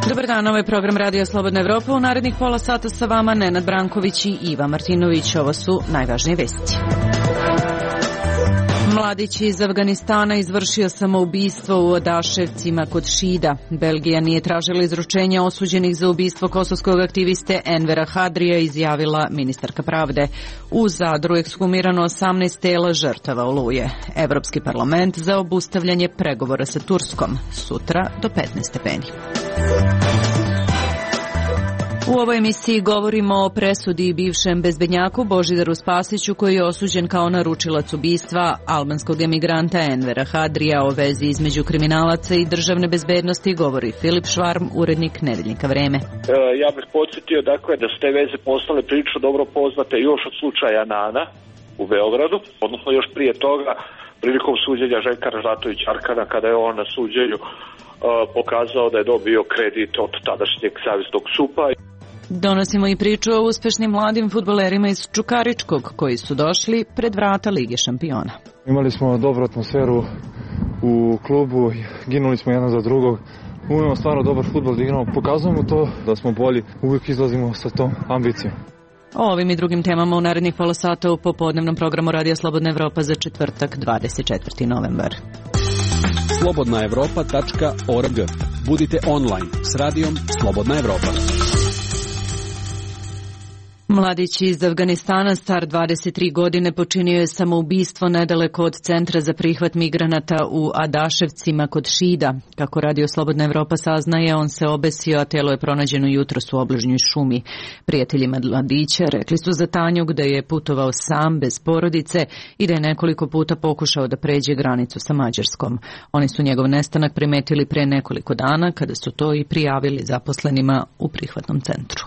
Dobar dan, ovo je program Radija Slobodna Evropa. U narednih pola sata sa vama Nenad Branković i Iva Martinović. Ovo su najvažnije vesti. Mladić iz Afganistana izvršio samoubistvo u Adaševcima kod Šida. Belgija nije tražila izručenja osuđenih za ubistvo kosovskog aktiviste Envera Hadrija, izjavila ministarka pravde. U Zadru ekshumirano 18 tela žrtava Oluje. Evropski parlament za obustavljanje pregovora sa Turskom. Sutra do 15 stepeni. U ovoj emisiji govorimo o presudi bivšem bezbednjaku Božidaru Spasiću, koji je osuđen kao naručilac ubistva albanskog emigranta Envera Hadrija. O vezi između kriminalaca i državne bezbednosti govori Filip Švarm, urednik Nedeljnika Vreme. Ja bih podsjetio da su te veze postale prilično dobro poznate još od slučaja Nana u Beogradu, odnosno još prije toga prilikom suđenja Željka Ražnatovića Arkana, kada je on na suđenju pokazao da je dobio kredit od tadašnjeg saveznog SUP-a. Donosimo i priču o uspešnim mladim fudbalerima iz Čukaričkog koji su došli pred vrata Lige šampiona. Imali smo dobru atmosferu u klubu, ginuli smo jedan za drugog. Umemo stvarno dobar fudbal da igramo, pokazujemo to da smo bolji, uvijek izlazimo sa tom ambicijom. O ovim i drugim temama u narednih pola sata u popodnevnom programu Radija Slobodna Evropa za četvrtak 24. novembar. slobodnaevropa.org. Budite online s radijom Slobodna Evropa. Mladić iz Afganistana, star 23 godine, počinio je samoubistvo nedaleko od centra za prihvat migranata u Adaševcima kod Šida. Kako Radio Slobodna Evropa saznaje, on se obesio, a telo je pronađeno jutros u obližnjoj šumi. Prijatelji mladića rekli su za Tanjug da je putovao sam, bez porodice, i da je nekoliko puta pokušao da pređe granicu sa Mađarskom. Oni su njegov nestanak primetili pre nekoliko dana, kada su to i prijavili zaposlenima u prihvatnom centru.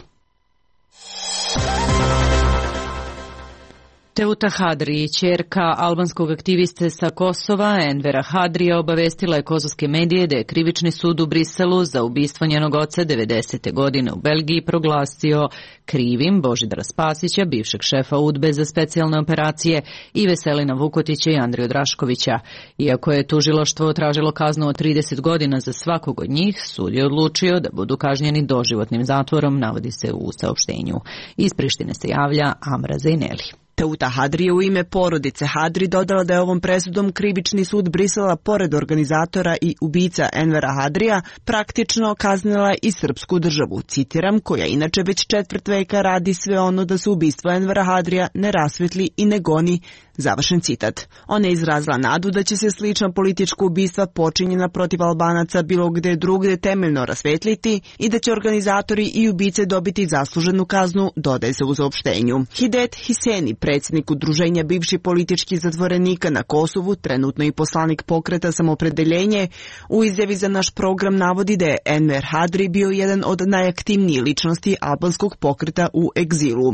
Teuta Hadri, ćerka albanskog aktiviste sa Kosova, Envera Hadrija, obavestila je kosovske medije da je krivični sud u Briselu za ubistvo njenog oca 90. godine u Belgiji proglasio krivim Božidara Spasića, bivšeg šefa UDBE za specijalne operacije, i Veselina Vukotića i Andriju Draškovića. Iako je tužilaštvo tražilo kaznu od 30 godina za svakog od njih, sud je odlučio da budu kažnjeni doživotnim zatvorom, navodi se u saopštenju. Iz Prištine se javlja Amra Zejneli. Teuta Hadri je u ime porodice Hadri dodala da je ovom presudom krivični sud Brisela, pored organizatora i ubica Envera Hadrija, praktično kaznila i srpsku državu, citiram, koja inače već četvrt veka radi sve ono da se ubistvo Envera Hadrija ne rasvetli i ne goni, završen citat. Ona je izrazila nadu da će se slična politička ubistva počinjena protiv Albanaca bilo gde drugde temeljno rasvetliti i da će organizatori i ubice dobiti zasluženu kaznu, dodaje se u saopštenju. Hidet Hiseni, predsjednik udruženja bivših političkih zatvorenika na Kosovu, trenutno i poslanik pokreta Samopredeljenje, u izjavi za naš program navodi da je Enver Hadri bio jedan od najaktivnijih ličnosti albanskog pokreta u egzilu.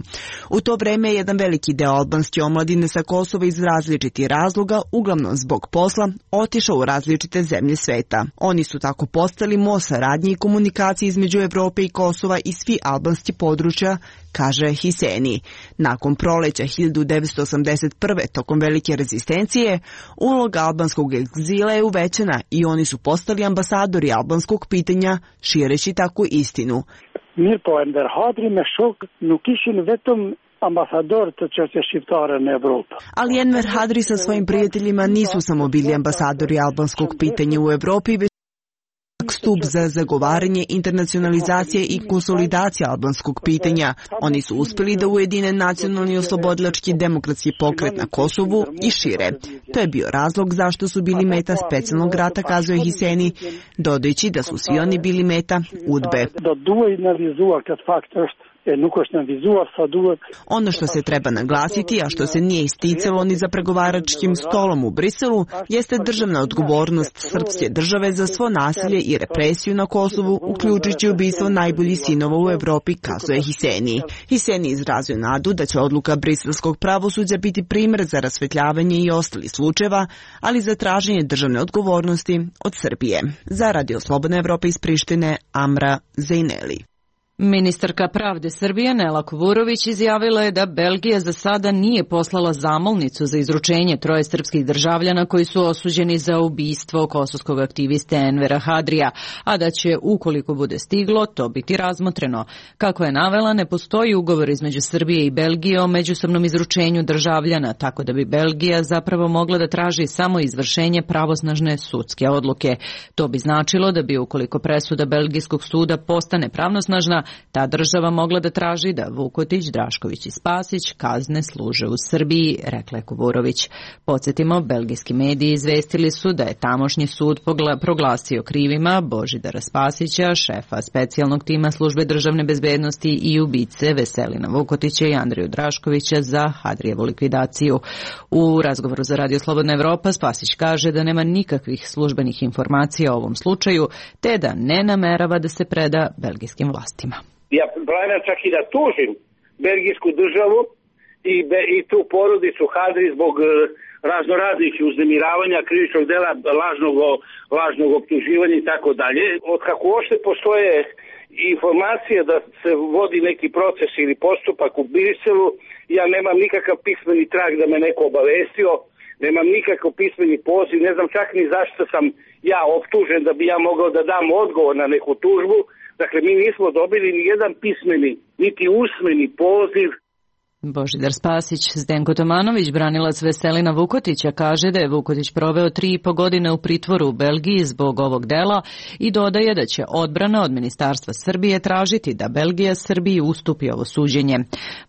U to vreme je jedan veliki deo albanske omladine sa Kosova iz različitih razloga, uglavnom zbog posla, otišao u različite zemlje sveta. Oni su tako postali most saradnje i komunikacije između Evrope i Kosova i svi albanski područja, kaže Hiseni. Nakon proleća 1981. tokom velike rezistencije, uloga albanskog egzila je uvećana i oni su postali ambasadori albanskog pitanja, šireći tako istinu. Mirë po Enver Hadri me shok nuk ishin vetëm ambasador të çështjes shqiptare në Evropë. Ali Enver Hadri sa svojim prijateljima nisu samo bili ambasadori albanskog pitanja u Evropi, već stup za zagovaranje internacionalizacije i konsolidacije albanskog pitanja. Oni su uspjeli da ujedine nacionalni oslobodilački demokratski pokret na Kosovu i šire. To je bio razlog zašto su bili meta specijalnog rata, kazuje Hiseni, dodajući da su svi oni bili meta UDBE. Ono što se treba naglasiti, a što se nije isticalo ni za pregovaračkim stolom u Briselu, jeste državna odgovornost srpske države za svo nasilje i represiju na Kosovu, uključujući ubistvo najboljih sinova u Evropi, kazuje Hiseni. Hiseni izrazio nadu da će odluka briselskog pravosuđa biti primjer za rasvetljavanje i ostalih slučajeva, ali za traženje državne odgovornosti od Srbije. Za Radio Slobodna Evropa iz Prištine, Amra Zejneli. Ministarka pravde Srbije Nela Kuburović izjavila je da Belgija za sada nije poslala zamolnicu za izručenje troje srpskih državljana koji su osuđeni za ubistvo kosovskog aktiviste Envera Hadrija, a da će, ukoliko bude stiglo, to biti razmotreno. Kako je navela, ne postoji ugovor između Srbije i Belgije o međusobnom izručenju državljana, tako da bi Belgija zapravo mogla da traži samo izvršenje pravosnažne sudske odluke. To bi značilo da bi, ukoliko presuda belgijskog suda postane pravnosnažna, ta država mogla da traži da Vukotić, Drašković i Spasić kazne služe u Srbiji, rekla je Kuburović. Podsjetimo, belgijski mediji izvestili su da je tamošnji sud proglasio krivima Božidara Spasića, šefa specijalnog tima službe državne bezbednosti i ubice Veselina Vukotića i Andriju Draškovića za Hadrijevu likvidaciju. U razgovoru za Radio Slobodna Evropa Spasić kaže da nema nikakvih službenih informacija o ovom slučaju, te da ne namerava da se preda belgijskim vlastima. Ja planiram čak i da tužim belgijsku državu i tu porodicu Hadri zbog raznoraznih uznemiravanja, krivičnog dela, lažnog optuživanja i tako dalje. Od kako uopšte postoje informacije da se vodi neki proces ili postupak u Briselu, ja nemam nikakav pismeni trag da me neko obavestio, nemam nikakav pismeni poziv, ne znam čak ni zašto sam ja optužen da bi ja mogao da dam odgovor na neku tužbu. Dakle, mi nismo dobili ni jedan pismeni, niti usmeni poziv. Božidar Spasić. Zdenko Tomanović, branilac Veselina Vukotića, kaže da je Vukotić proveo 3,5 godine u pritvoru u Belgiji zbog ovog dela i dodaje da će odbrana od Ministarstva Srbije tražiti da Belgija Srbiji ustupi ovo suđenje.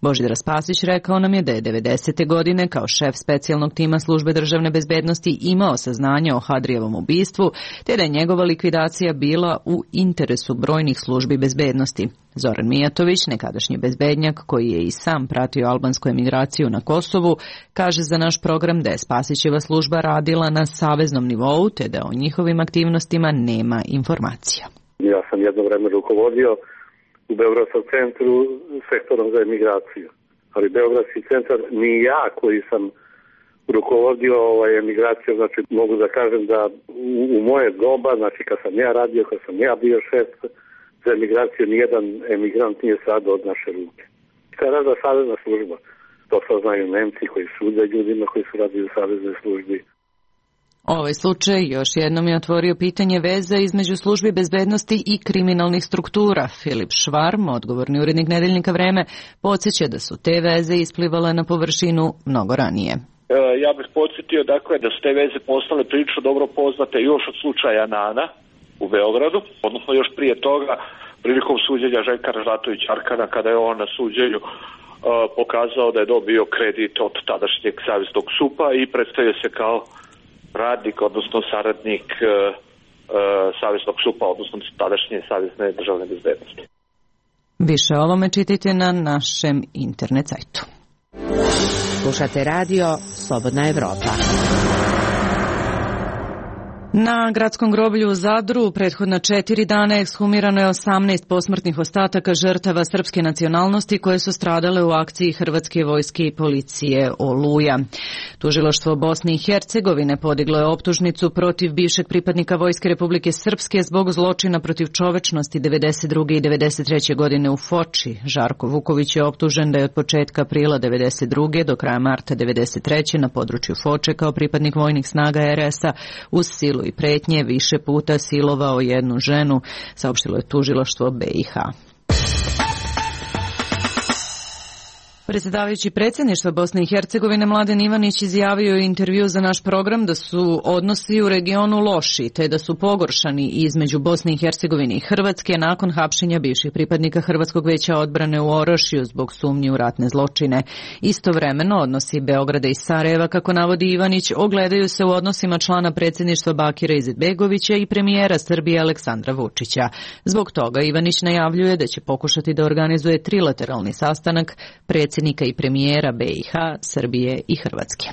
Božidar Spasić rekao nam je da je 90. godine kao šef specijalnog tima službe državne bezbednosti imao saznanje o Hadrijevom ubistvu, te da je njegova likvidacija bila u interesu brojnih službi bezbednosti. Zoran Mijatović, nekadašnji bezbednjak koji je i sam pratio albansku emigraciju na Kosovu, kaže za naš program da je Spasićeva služba radila na saveznom nivou, te da o njihovim aktivnostima nema informacija. Ja sam jedno vreme rukovodio u Beogradskom centru sektorom za emigraciju, ali Beogradski centar ni ja koji sam rukovodio emigraciju, znači mogu da kažem da u moje doba, znači kad sam ja radio, kad sam ja bio šef za emigraciju, nijedan emigrant nije sada od naše ruke. Kada rada savezna služba, to saznaju Nemci koji sude ljudima koji su radili u saveznoj službi. Ovaj slučaj još jednom je otvorio pitanje veza između službi bezbednosti i kriminalnih struktura. Filip Švarm, odgovorni urednik Nedeljnika Vreme, podsjeća da su te veze isplivale na površinu mnogo ranije. Ja bih podsjetio dakle da su te veze postale prilično dobro poznate još od slučaja Nana u Beogradu, odnosno još prije toga prilikom suđenja Željka Ražnatovića Arkana, kada je on na suđenju pokazao da je dobio kredit od tadašnjeg saveznog SUP-a i predstavio se kao radnik, odnosno saradnik saveznog SUP-a, odnosno tadašnje savezne državne bezbednosti. Više o ovome čitajte na našem internet sajtu. Slušate radio Slobodna Evropa. Na gradskom groblju u Zadru prethodna 4 dana ekshumirano je 18 posmrtnih ostataka žrtava srpske nacionalnosti koje su stradale u akciji Hrvatske vojske i policije Oluja. Tužilaštvo Bosne i Hercegovine podiglo je optužnicu protiv bivšeg pripadnika Vojske Republike Srpske zbog zločina protiv čovečnosti 92. i 93. godine u Foči. Žarko Vuković je optužen da je od početka aprila 92. do kraja marta 93. na području Foče kao pripadnik vojnih snaga RS-a uz silu i pretnje više puta silovao jednu ženu, saopštilo je tužilaštvo BiH. Predsjedavajući predsjedništva Bosne i Hercegovine Mladen Ivanić izjavio u intervju za naš program da su odnosi u regionu loši, te da su pogoršani između Bosne i Hercegovine i Hrvatske nakon hapšenja bivših pripadnika Hrvatskog veća odbrane u Orošiju zbog sumnji u ratne zločine. Istovremeno odnosi Beograda i Sarajeva, kako navodi Ivanić, ogledaju se u odnosima člana predsjedništva Bakira Izetbegovića i premijera Srbije Aleksandra Vučića. Zbog toga Ivanić najavljuje da će pokušati da organizuje trilateralni sastanak predsjednika i premijera BiH, Srbije i Hrvatske.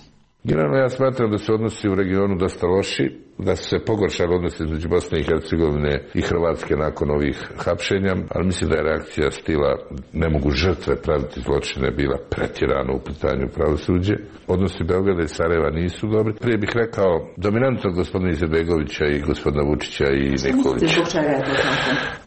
Generalno ja smatram da su odnosi u regionu dosta loši. da su se pogoršali odnosi između Bosne i Hercegovine i Hrvatske nakon ovih hapšenja, ali mislim da je reakcija stila ne mogu žrtve praviti zločine bila pretjerano u pitanju pravosuđe. Odnosi Beograda i Sarajeva nisu dobri. Prije bih rekao dominantnog gospodina Izetbegovića i gospodina Vučića i Nikolića.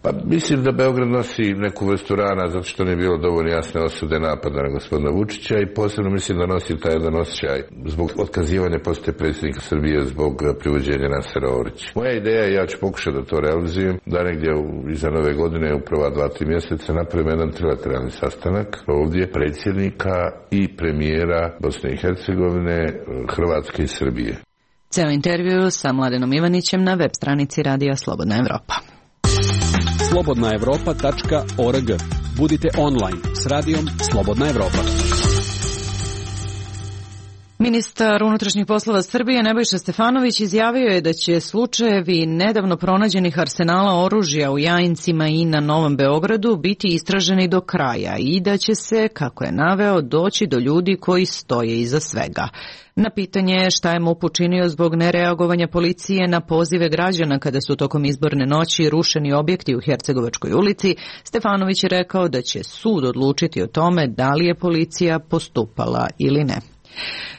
Pa mislim da Beograd nosi neku vrstu rana zato što nije bilo dovoljno jasne osude napada na gospodina Vučića i posebno mislim da nosi taj jedan osjećaj zbog otkazivanja posete predsjednika Srbije zbog privođenja Nasera Orića. Moja ideja je, ja ću pokušati da to realizujem, da negdje iza nove godine u prva 2-3 mjeseca napravimo jedan trilateralni sastanak ovdje predsjednika i premijera Bosne i Hercegovine, Hrvatske i Srbije. Ceo intervju sa Mladenom Ivanićem na web stranici Radija Slobodna Evropa. slobodnaevropa.org. Budite online s Radijom Slobodna Evropa. Ministar unutrašnjih poslova Srbije Nebojša Stefanović izjavio je da će slučajevi nedavno pronađenih arsenala oružja u Jajincima i na Novom Beogradu biti istraženi do kraja i da će se, kako je naveo, doći do ljudi koji stoje iza svega. Na pitanje šta je MUP učinio zbog nereagovanja policije na pozive građana kada su tokom izborne noći rušeni objekti u Hercegovačkoj ulici, Stefanović je rekao da će sud odlučiti o tome da li je policija postupala ili ne.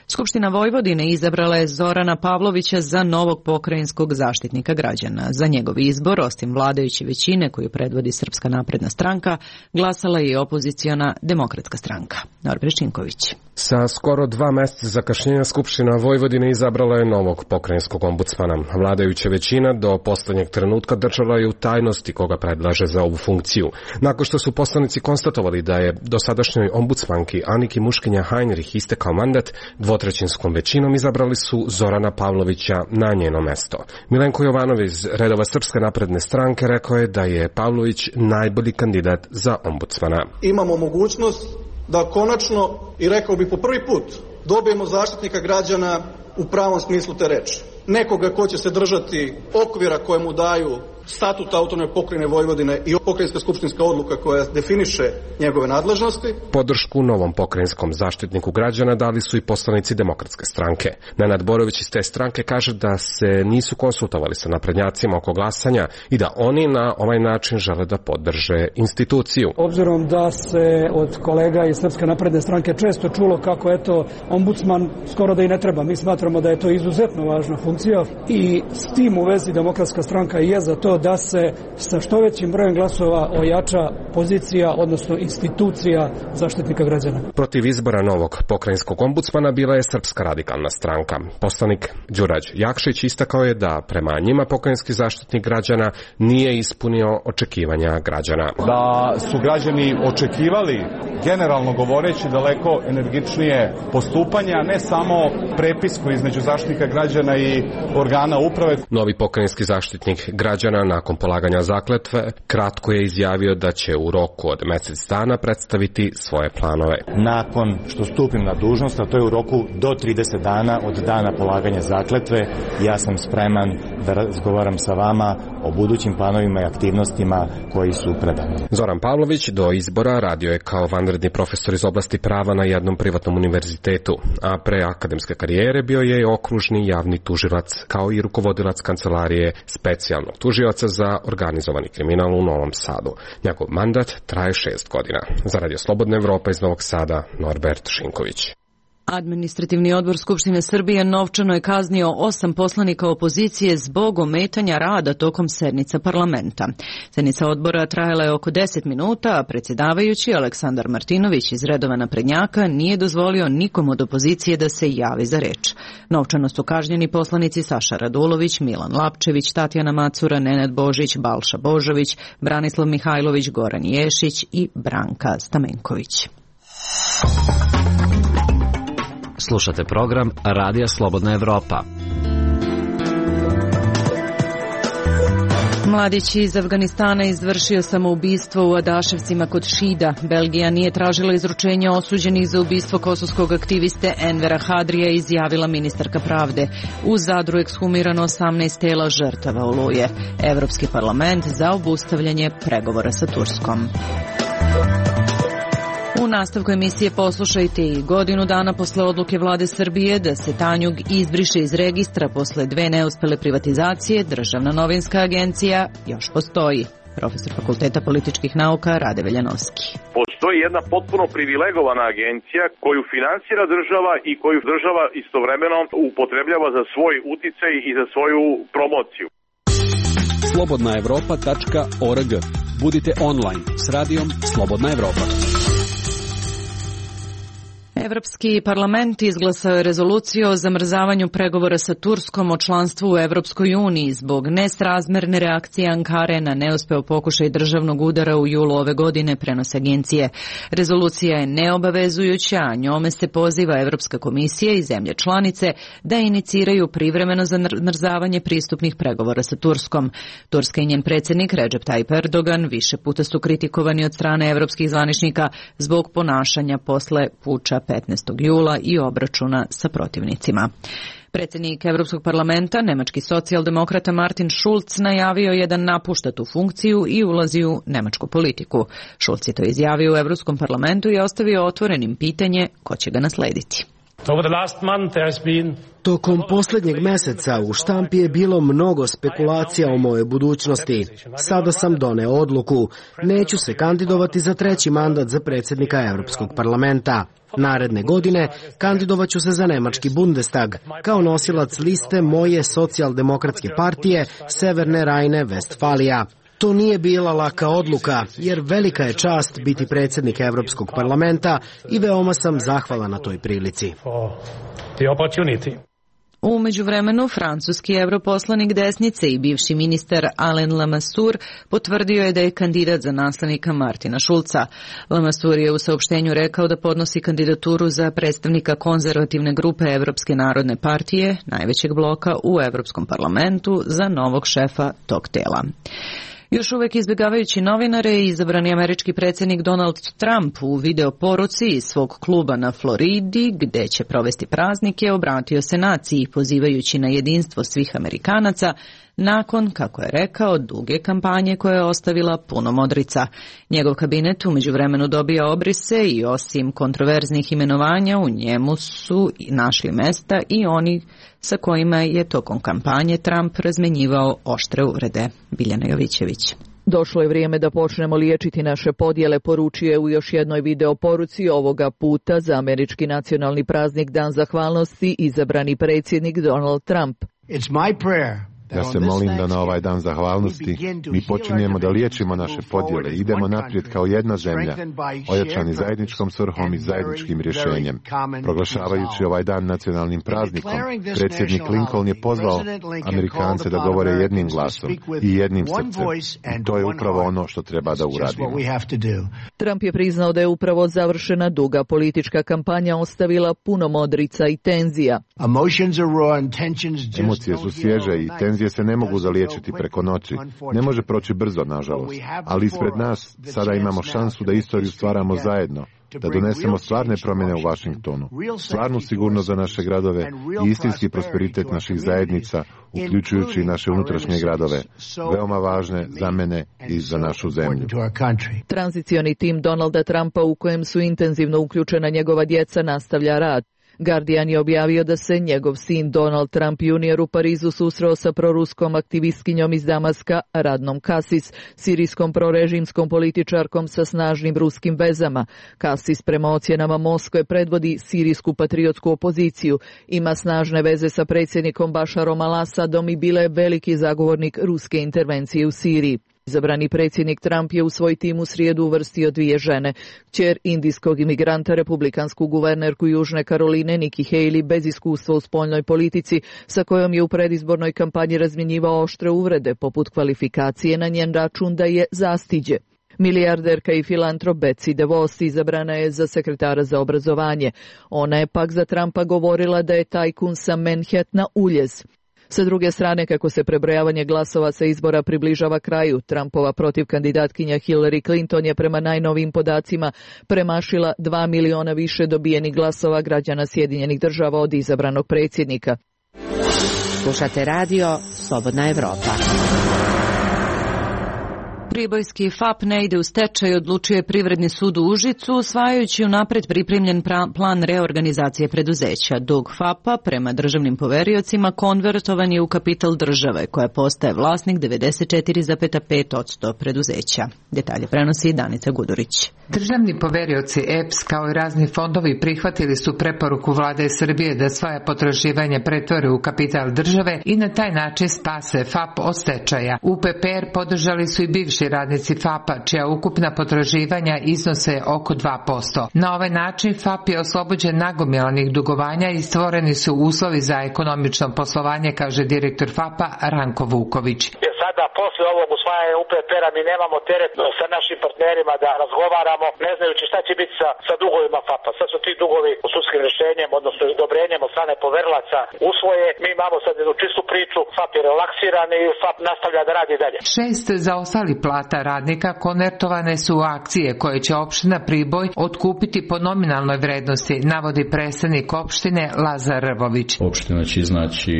Skupština Vojvodine izabrala je Zorana Pavlovića za novog pokrajinskog zaštitnika građana. Za njegov izbor, osim vladajuće većine koju predvodi Srpska napredna stranka, glasala je i opoziciona Demokratska stranka. Norbert Činković. Sa skoro 2 mjeseca zakašnjenja Skupština Vojvodine izabrala je novog pokrajinskog ombudsmana. Vladajuća većina do poslednjeg trenutka držala je u tajnosti koga predlaže za ovu funkciju. Nakon što su poslanici konstatovali da je dosadašnjoj ombudsmanki Aniki Muškinja Heinrich istekao mandat, dvotrećinskom većinom izabrali su Zorana Pavlovića na njeno mesto. Milenko Jovanov iz redova Srpske napredne stranke rekao je da je Pavlović najbolji kandidat za ombudsmana. Imamo mogućnost da konačno, i rekao bi po prvi put, dobijemo zaštitnika građana u pravom smislu te reči. Nekoga ko će se držati okvira koje mu daju statut autonomne pokrajine Vojvodine i pokrajinska skupštinska odluka koja definiše njegove nadležnosti. Podršku novom pokrajinskom zaštitniku građana dali su i poslanici Demokratske stranke. Nenad Borović iz te stranke kaže da se nisu konsultovali sa naprednjacima oko glasanja i da oni na ovaj način žele da podrže instituciju. Obzirom da se od kolega iz Srpske napredne stranke često čulo kako ombudsman skoro da i ne treba. Mi smatramo da je to izuzetno važna funkcija i s tim u vezi Demokratska stranka je za to da se sa što većim brojem glasova ojača pozicija, odnosno institucija zaštitnika građana. Protiv izbora novog pokrajinskog ombudsmana bila je Srpska radikalna stranka. Poslanik Đurađ Jakšić istakao je da prema njima pokrajinski zaštitnik građana nije ispunio očekivanja građana. Da su građani očekivali, generalno govoreći, daleko energičnije postupanje, a ne samo prepisku između zaštitnika građana i organa uprave. Novi pokrajinski zaštitnik građana nakon polaganja zakletve kratko je izjavio da će u roku od mjesec dana predstaviti svoje planove. Nakon što stupim na dužnost, a to je u roku do 30 dana od dana polaganja zakletve, ja sam spreman da razgovaram sa vama o budućim planovima i aktivnostima koji su predani. Zoran Pavlović do izbora radio je kao vanredni profesor iz oblasti prava na jednom privatnom univerzitetu, a pre akademske karijere bio je okružni javni tužilac kao i rukovodilac kancelarije specijalnog tužioca za organizovani kriminal u Novom Sadu. Njegov mandat traje 6 godina. Za Radio Slobodna Evropa iz Novog Sada, Norbert Šinković. Administrativni odbor Skupštine Srbije novčano je kaznio 8 poslanika opozicije zbog ometanja rada tokom sednica parlamenta. Sednica odbora trajala je oko 10 minuta, a predsjedavajući Aleksandar Martinović iz redova naprednjaka nije dozvolio nikom od opozicije da se javi za reč. Novčano su kažnjeni poslanici Saša Radulović, Milan Lapčević, Tatjana Macura, Nenad Božić, Balša Božović, Branislav Mihajlović, Goran Ješić i Branka Stamenković. Slušate program Radija Slobodna Evropa. Mladić iz Afganistana izvršio samoubistvo u Adaševcima kod Šida. Belgija nije tražila izručenje osuđenih za ubistvo kosovskog aktiviste Envera Hadrija, izjavila ministarka pravde. U Zadru ekshumirano 18 tela žrtava Oluje. Evropski parlament za obustavljanje pregovora sa Turskom. U nastavku emisije poslušajte i godinu dana posle odluke vlade Srbije da se Tanjug izbriše iz registra posle 2 neuspele privatizacije, Državna novinska agencija još postoji. Profesor Fakulteta političkih nauka Rade Veljanovski. Postoji jedna potpuno privilegovana agencija koju finansira država i koju država istovremeno upotrebljava za svoj uticaj i za svoju promociju. Slobodnaevropa.org. Budite online s radijom Slobodna Evropa. Evropski parlament izglasao je rezoluciju o zamrzavanju pregovora sa Turskom o članstvu u Evropskoj uniji zbog nesrazmerne reakcije Ankare na neuspeo pokušaj državnog udara u julu ove godine, prenose agencije. Rezolucija je neobavezujuća, a njome se poziva Evropska komisija i zemlje članice da iniciraju privremeno zamrzavanje pristupnih pregovora sa Turskom. Turska i njen predsjednik Recep Tayyip Erdogan više puta su kritikovani od strane evropskih zvaničnika zbog ponašanja posle puča 15. jula i obračuna sa protivnicima. Predsjednik Evropskog parlamenta, nemački socijaldemokrata Martin Schulz, najavio je da napušta tu funkciju i ulazi u nemačku politiku. Schulz je to izjavio u Evropskom parlamentu i ostavio otvorenim pitanje ko će ga naslediti. Tokom posljednjeg meseca u štampi je bilo mnogo spekulacija o mojoj budućnosti. Sada sam doneo odluku. Neću se kandidovati za 3. mandat za predsjednika Europskog parlamenta. Naredne godine kandidovaću se za nemački Bundestag kao nosilac liste moje socijaldemokratske partije Severne Rajne-Vestfalija. To nije bila laka odluka, jer velika je čast biti predsjednik Europskog parlamenta i veoma sam zahvalan na toj prilici. U međuvremenu, francuski europoslanik desnice i bivši ministar Alain Lamassoure potvrdio je da je kandidat za naslednika Martina Schulza. Lamassoure je u saopštenju rekao da podnosi kandidaturu za predstavnika konzervativne grupe Evropske narodne partije, najvećeg bloka u Evropskom parlamentu, za novog šefa tog tela. Još uvek izbjegavajući novinare, izabrani američki predsjednik Donald Trump u video poruci iz svog kluba na Floridi, gde će provesti praznike, obratio se naciji pozivajući na jedinstvo svih Amerikanaca, nakon, kako je rekao, duge kampanje koja je ostavila puno modrica. Njegov kabinet u međuvremenu dobija obrise i osim kontroverznih imenovanja u njemu su našli mesta i oni sa kojima je tokom kampanje Trump razmenjivao oštre uvrede. Biljana Jovićević. Došlo je vrijeme da počnemo liječiti naše podjele, poručuje u još jednoj video poruci, ovoga puta za američki nacionalni praznik Dan zahvalnosti izabrani predsjednik Donald Trump. It's my prayer. Ja se molim da na ovaj dan zahvalnosti mi počinjemo da liječimo naše podjele, idemo naprijed kao jedna zemlja, ojačani zajedničkom svrhom i zajedničkim rješenjem. Proglašavajući ovaj dan nacionalnim praznikom, predsjednik Lincoln je pozvao Amerikance da govore jednim glasom i jednim srcem. I to je upravo ono što treba da uradimo. Trump je priznao da je upravo završena duga politička kampanja ostavila puno modrica i tenzija. Emocije su svježe i tenzije se ne mogu zaliječiti preko noći. Ne može proći brzo, nažalost. Ali ispred nas sada imamo šansu da istoriju stvaramo zajedno, da donesemo stvarne promjene u Washingtonu, stvarnu sigurnost za naše gradove i istinski prosperitet naših zajednica, uključujući i naše unutrašnje gradove, veoma važne za mene i za našu zemlju. Tranzicioni tim Donalda Trumpa, u kojem su intenzivno uključena njegova djeca, nastavlja rad. Guardian je objavio da se njegov sin Donald Trump Jr. u Parizu susreo sa proruskom aktivistkinjom iz Damaska, Radnom Kasis, sirijskom prorežimskom političarkom sa snažnim ruskim vezama. Kasis prema ocjenama Moskve predvodi sirijsku patriotsku opoziciju, ima snažne veze sa predsjednikom Bašarom al-Asadom i bila je veliki zagovornik ruske intervencije u Siriji. Izabrani predsjednik Trump je u svoj tim u srijedu uvrstio 2 žene. Kćer indijskog imigranta, republikansku guvernerku Južne Karoline Nikki Haley, bez iskustva u spoljnoj politici, sa kojom je u predizbornoj kampanji razmjenjivao oštre uvrede, poput kvalifikacije na njen račun da je zastiđe. Milijarderka i filantrop Betsy DeVos izabrana je za sekretara za obrazovanje. Ona je pak za Trumpa govorila da je tajkun sa Manhattana uljez. Sa druge strane, kako se prebrojavanje glasova sa izbora približava kraju, Trumpova protivkandidatkinja Hillary Clinton je prema najnovijim podacima premašila 2 miliona više dobijenih glasova građana Sjedinjenih Država od izabranog predsjednika. Slušate radio Slobodna Evropa. Pribojski FAP ne ide u stečaj, odlučio je Privredni sud u Užicu, usvajajući unapred pripremljen plan reorganizacije preduzeća. Dug FAP-a prema državnim poveriocima konvertovan je u kapital države, koja postaje vlasnik 94,5% preduzeća. Detalje prenosi Danica Gudurić. Državni poverioci EPS kao i razni fondovi prihvatili su preporuku Vlade Srbije da svoja potraživanja pretvore u kapital države i na taj način spase FAP od stečaja. UPPR podržali su i bivši radnici FAP-a, čija ukupna potraživanja iznose oko 2%. Na ovaj način FAP je oslobođen nagomilanih dugovanja i stvoreni su uslovi za ekonomično poslovanje, kaže direktor FAP-a Ranko Vuković. Sada, posle ovog usvajanja UPPR-a, mi nemamo teret sa našim partnerima da razgovaramo, ne znajući šta će biti sa dugovima FAP-a. Sad su ti dugovi u sudskim rješenjem, odnosno odobrenjem od strane poverilaca usvoje. Mi imamo sad jednu čistu priču, FAP je relaksiran i FAP nastavlja da radi dalje. 6 zaostalih plata radnika konvertovane su u akcije koje će opština Priboj otkupiti po nominalnoj vrednosti, navodi predstavnik opštine Lazar Rvović. Opština će iznaći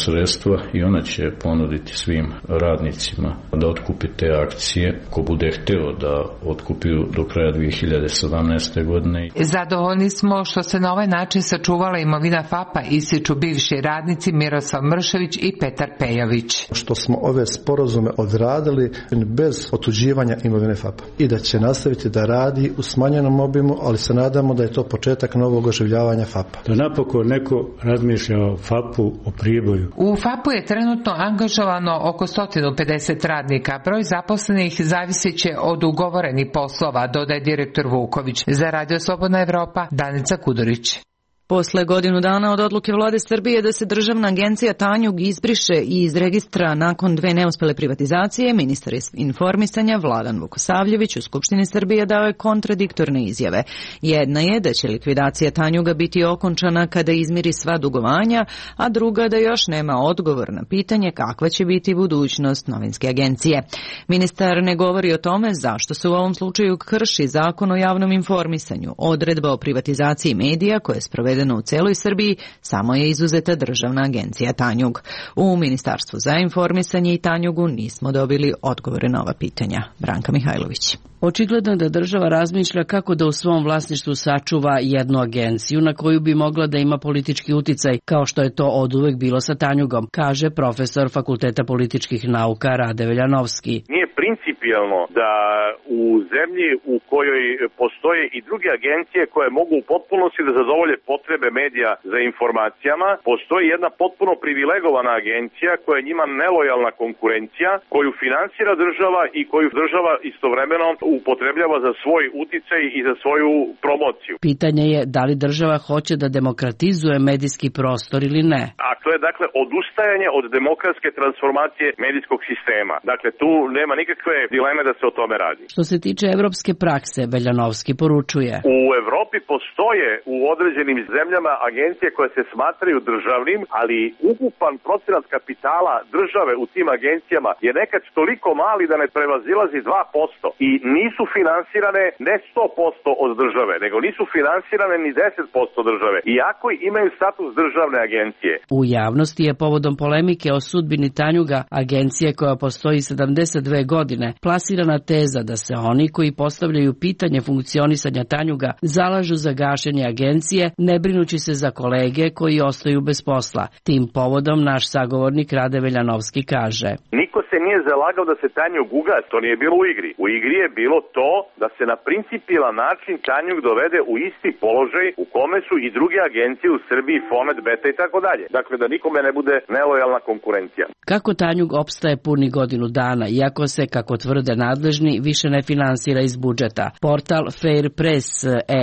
sredstva i ona će ponuditi svim radnicima da otkupi te akcije, ko bude hteo da otkupi do kraja 2017. godine. Zadovoljni smo što se na ovaj način sačuvala imovina FAP-a, ističu bivši radnici Miroslav Mršević i Petar Pejović. Što smo ove sporazume odradili bez otuđivanja imovine FAP-a i da će nastaviti da radi u smanjenom obimu, ali se nadamo da je to početak novog oživljavanja FAP-a. Da napokon neko razmišlja o FAP-u, o Priboju. U FAP-u je trenutno angažovano oko 150 radnika. Broj zaposlenih zavisit će od ugovorenih poslova, dodaje direktor Vuković. Za Radio Slobodna Evropa, Danica Kudurić. Posle godinu dana od odluke Vlade Srbije da se državna agencija Tanjug izbriše iz registra nakon 2 neuspele privatizacije, ministar informisanja Vladan Vukosavljević u Skupštini Srbije dao je kontradiktorne izjave. Jedna je da će likvidacija Tanjuga biti okončana kada izmiri sva dugovanja, a druga da još nema odgovor na pitanje kakva će biti budućnost novinske agencije. Ministar ne govori o tome zašto se u ovom slučaju krši Zakon o javnom informisanju. Odredba o privatizaciji medija koja je sprovedena u celoj Srbiji, samo je izuzeta državna agencija Tanjug. U Ministarstvu za informisanje i Tanjugu nismo dobili odgovore na ova pitanja. Branka Mihajlović. Očigledno je da država razmišlja kako da u svom vlasništvu sačuva jednu agenciju na koju bi mogla da ima politički uticaj, kao što je to oduvek bilo sa Tanjugom, kaže profesor Fakulteta političkih nauka Rade Veljanovski. Nije principijelno da u zemlji u kojoj postoje i druge agencije koje mogu u potpunosti da zadovolje potrebe medija za informacijama, postoji jedna potpuno privilegovana agencija koja je njima nelojalna konkurencija, koju finansira država i koju država istovremeno upotrebljava za svoj uticaj i za svoju promociju. Pitanje je da li država hoće da demokratizuje medijski prostor ili ne. A to je dakle odustajanje od demokratske transformacije medijskog sistema. Dakle, tu nema nikakve dileme da se o tome radi. Što se tiče evropske prakse, Veljanovski poručuje. U Evropi postoje u određenim zemljama agencije koje se smatraju državnim, ali ukupan procenat kapitala države u tim agencijama je nekad toliko mali da ne prevazilazi 2% i nisu finansirane ne 100% od države, nego nisu finansirane ni 10% države, iako imaju status državne agencije. U javnosti je povodom polemike o sudbini Tanjuga, agencije koja postoji 72 godine, plasirana teza da se oni koji postavljaju pitanje funkcionisanja Tanjuga zalažu za gašenje agencije, ne brinući se za kolege koji ostaju bez posla. Tim povodom naš sagovornik Rade Veljanovski kaže: Niko se nije zalagao da se Tanjug ugasi, to nije bilo u igri. U igri je bilo to da se na principijelan način Tanjug dovede u isti položaj u kome su i druge agencije u Srbiji, Fomet, Beta i tako dalje. Dakle, da nikome ne bude nelojalna konkurencija. Kako Tanjug opstaje puni godinu dana, iako se, kako tvrde nadležni, više ne finansira iz budžeta. Portal Fair Press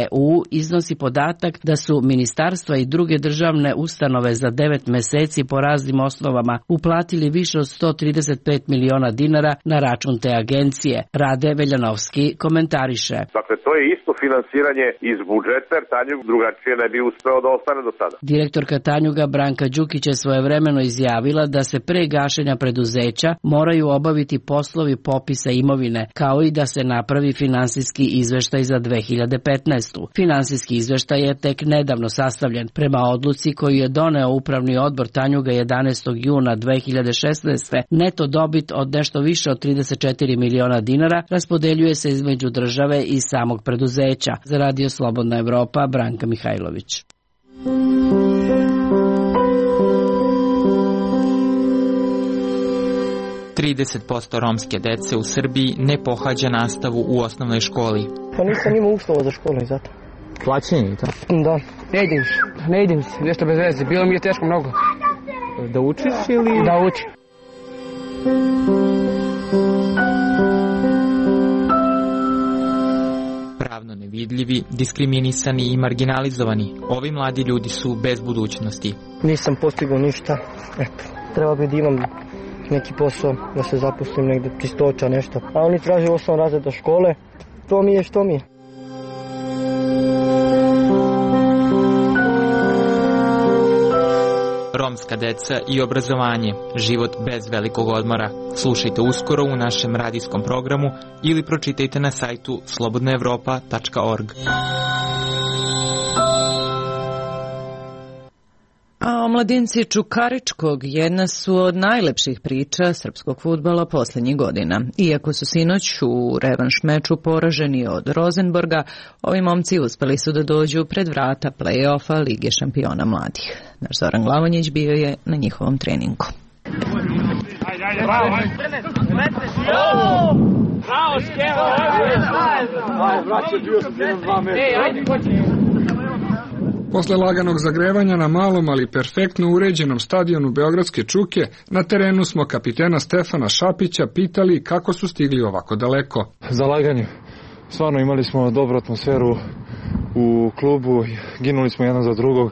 EU iznosi podatak da su ministarstva i druge državne ustanove za 9 meseci po raznim osnovama uplatili više od 135 miliona dinara na račun te agencije. Rade Veljanovski komentariše. Dakle, to je isto finansiranje iz budžeta, jer Tanjug drugačije ne bi uspeo da ostane do sada. Direktorka Tanjuga Branka Đukić je svojevremeno izjavila da se pre gašenja preduzeća moraju obaviti poslovi popisa imovine, kao i da se napravi finansijski izveštaj za 2015. Finansijski izveštaj je tek nedavno ispravno sastavljen. Prema odluci koju je doneo Upravni odbor Tanjuga 11. juna 2016. neto dobit od nešto više od 34 miliona dinara raspodeljuje se između države i samog preduzeća. Za Radio Slobodna Evropa, Branka Mihajlović. % romske dece u Srbiji ne pohađa nastavu u osnovnoj školi. Pa nisam imao uslova za školu i zato. Plaćeni, to? Da, ne idem se, nešto bez veze, bilo mi je teško mnogo. Da učiš ili? Da učim. Pravno nevidljivi, diskriminisani i marginalizovani, ovi mladi ljudi su bez budućnosti. Nisam postigao ništa, eto, treba bi da imam neki posao, da se zaposlim negde, čistoća, nešto. A oni traže 8 razreda škole, to mi je što mi je. Romska deca i obrazovanje, život bez velikog odmora. Slušajte uskoro u našem radijskom programu ili pročitajte na sajtu slobodnaevropa.org. A omladinci Čukaričkog jedna su od najlepših priča srpskog fudbala posljednjih godina. Iako su sinoć u revanš meču poraženi od Rosenborga, ovi momci uspeli su da dođu pred vrata play-offa Lige šampiona mladih. Naš Zoran Glavonjić bio je na njihovom treningu. Posle laganog zagrevanja na malom, ali perfektno uređenom stadionu Beogradske Čuke, na terenu smo kapitena Stefana Šapića pitali kako su stigli ovako daleko. Zalaganje. Stvarno imali smo dobru atmosferu u klubu, ginuli smo jedan za drugog.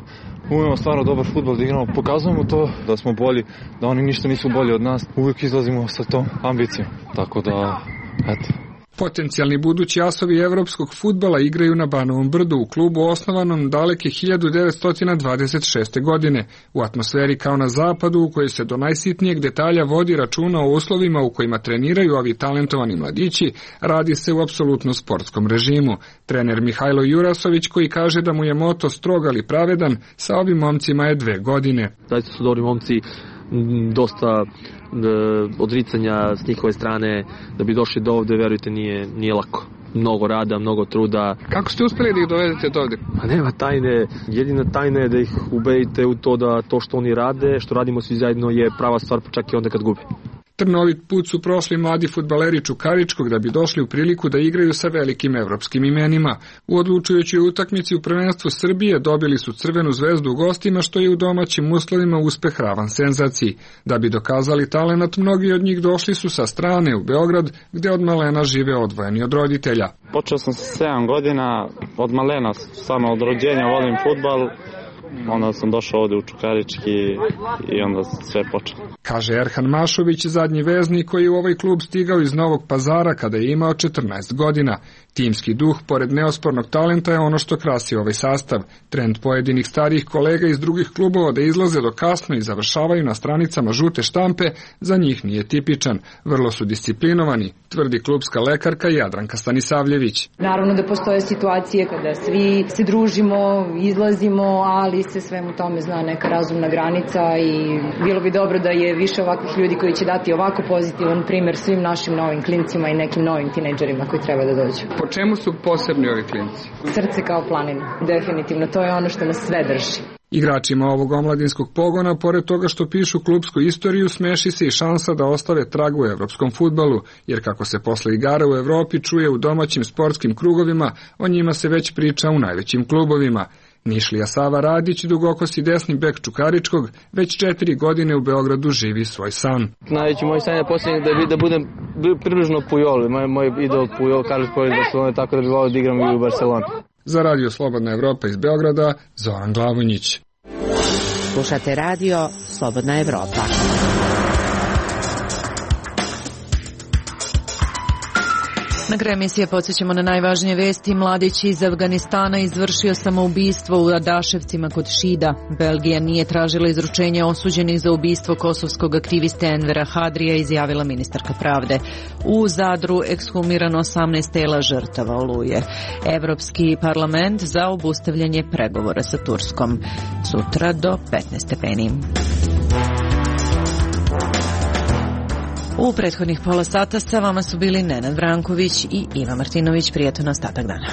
Umemo stvarno dobar fudbal da igramo, pokazujemo to da smo bolji, da oni ništa nisu bolji od nas. Uvijek izlazimo sa tom ambicijom, tako da, eto. Potencijalni budući asovi evropskog fudbala igraju na Banovom brdu u klubu osnovanom daleke 1926. godine, u atmosferi kao na zapadu u kojoj se do najsitnijeg detalja vodi računa o uslovima u kojima treniraju ovi talentovani mladići, radi se u apsolutno sportskom režimu. Trener Mihajlo Jurasović, koji kaže da mu je moto strog ali pravedan, sa ovim momcima je 2 godine. Zaista su dobri momci, dosta odricanja s njihove strane, da bi došli do ovde, verujte, nije lako. Mnogo rada, mnogo truda. Kako ste uspeli da ih dovedete do ovde? Pa nema tajne, jedina tajna je da ih ubedite u to da to što oni rade, što radimo svi zajedno, je prava stvar, pa čak i onda kad gube. Trnovit put su prošli mladi fudbaleri Čukaričkog da bi došli u priliku da igraju sa velikim evropskim imenima. U odlučujućoj utakmici u prvenstvu Srbije dobili su Crvenu zvezdu u gostima, što je u domaćim uslovima uspeh ravan senzaciji. Da bi dokazali talenat, mnogi od njih došli su sa strane u Beograd, gde od malena žive odvojeni od roditelja. Počeo sam sa 7 godina, od malena, samo od rođenja volim fudbal. Onda sam došao ovde u Čukarički i onda sve počelo. Kaže Erhan Mašović, zadnji veznik koji je u ovaj klub stigao iz Novog Pazara kada je imao 14 godina. Timski duh, pored neospornog talenta, je ono što krasi ovaj sastav. Trend pojedinih starijih kolega iz drugih klubova da izlaze do kasno i završavaju na stranicama žute štampe, za njih nije tipičan. Vrlo su disciplinovani, tvrdi klubska lekarka Jadranka Stanisavljević. Naravno da postoje situacije kada svi se družimo, izlazimo, ali se svemu tome zna neka razumna granica i bilo bi dobro da je više ovakvih ljudi koji će dati ovako pozitivan primjer svim našim novim klincima i nekim novim tinejdžerima koji treba da dođu. Po čemu su posebni ovi klinci? Srce kao planina, definitivno, to je ono što nas sve drži. Igračima ovog omladinskog pogona, pored toga što pišu klubsku istoriju, smeši se i šansa da ostave trag u evropskom fudbalu, jer kako se posle igara u Evropi čuje u domaćim sportskim krugovima, o njima se već priča u najvećim klubovima. Nišlija Sava Radić, dugokosi desni bek Čukaričkog, već 4 godine u Beogradu živi svoj san. Najveći moj san je posljednji da budem približno Pujol. Moj idol Pujol, Carlos Pujol iz Barcelone, tako da bi volio da igram i u Barceloni. Za Radio Slobodna Evropa iz Beograda, Zoran Glavonjić. Slušate Radio Slobodna Evropa. Na kraju emisije podsjećamo na najvažnije vesti. Mladić iz Afganistana izvršio samoubistvo u Adaševcima kod Šida. Belgija nije tražila izručenje osuđenih za ubistvo kosovskog aktiviste Envera Hadrija, izjavila ministarka pravde. U Zadru ekshumirano 18 tela žrtava Oluje. Evropski parlament za obustavljanje pregovora sa Turskom. Sutra do 15 stepeni. U prethodnih pola sata sa vama su bili Nenad Vranković i Iva Martinović. Prijatan ostatak dana.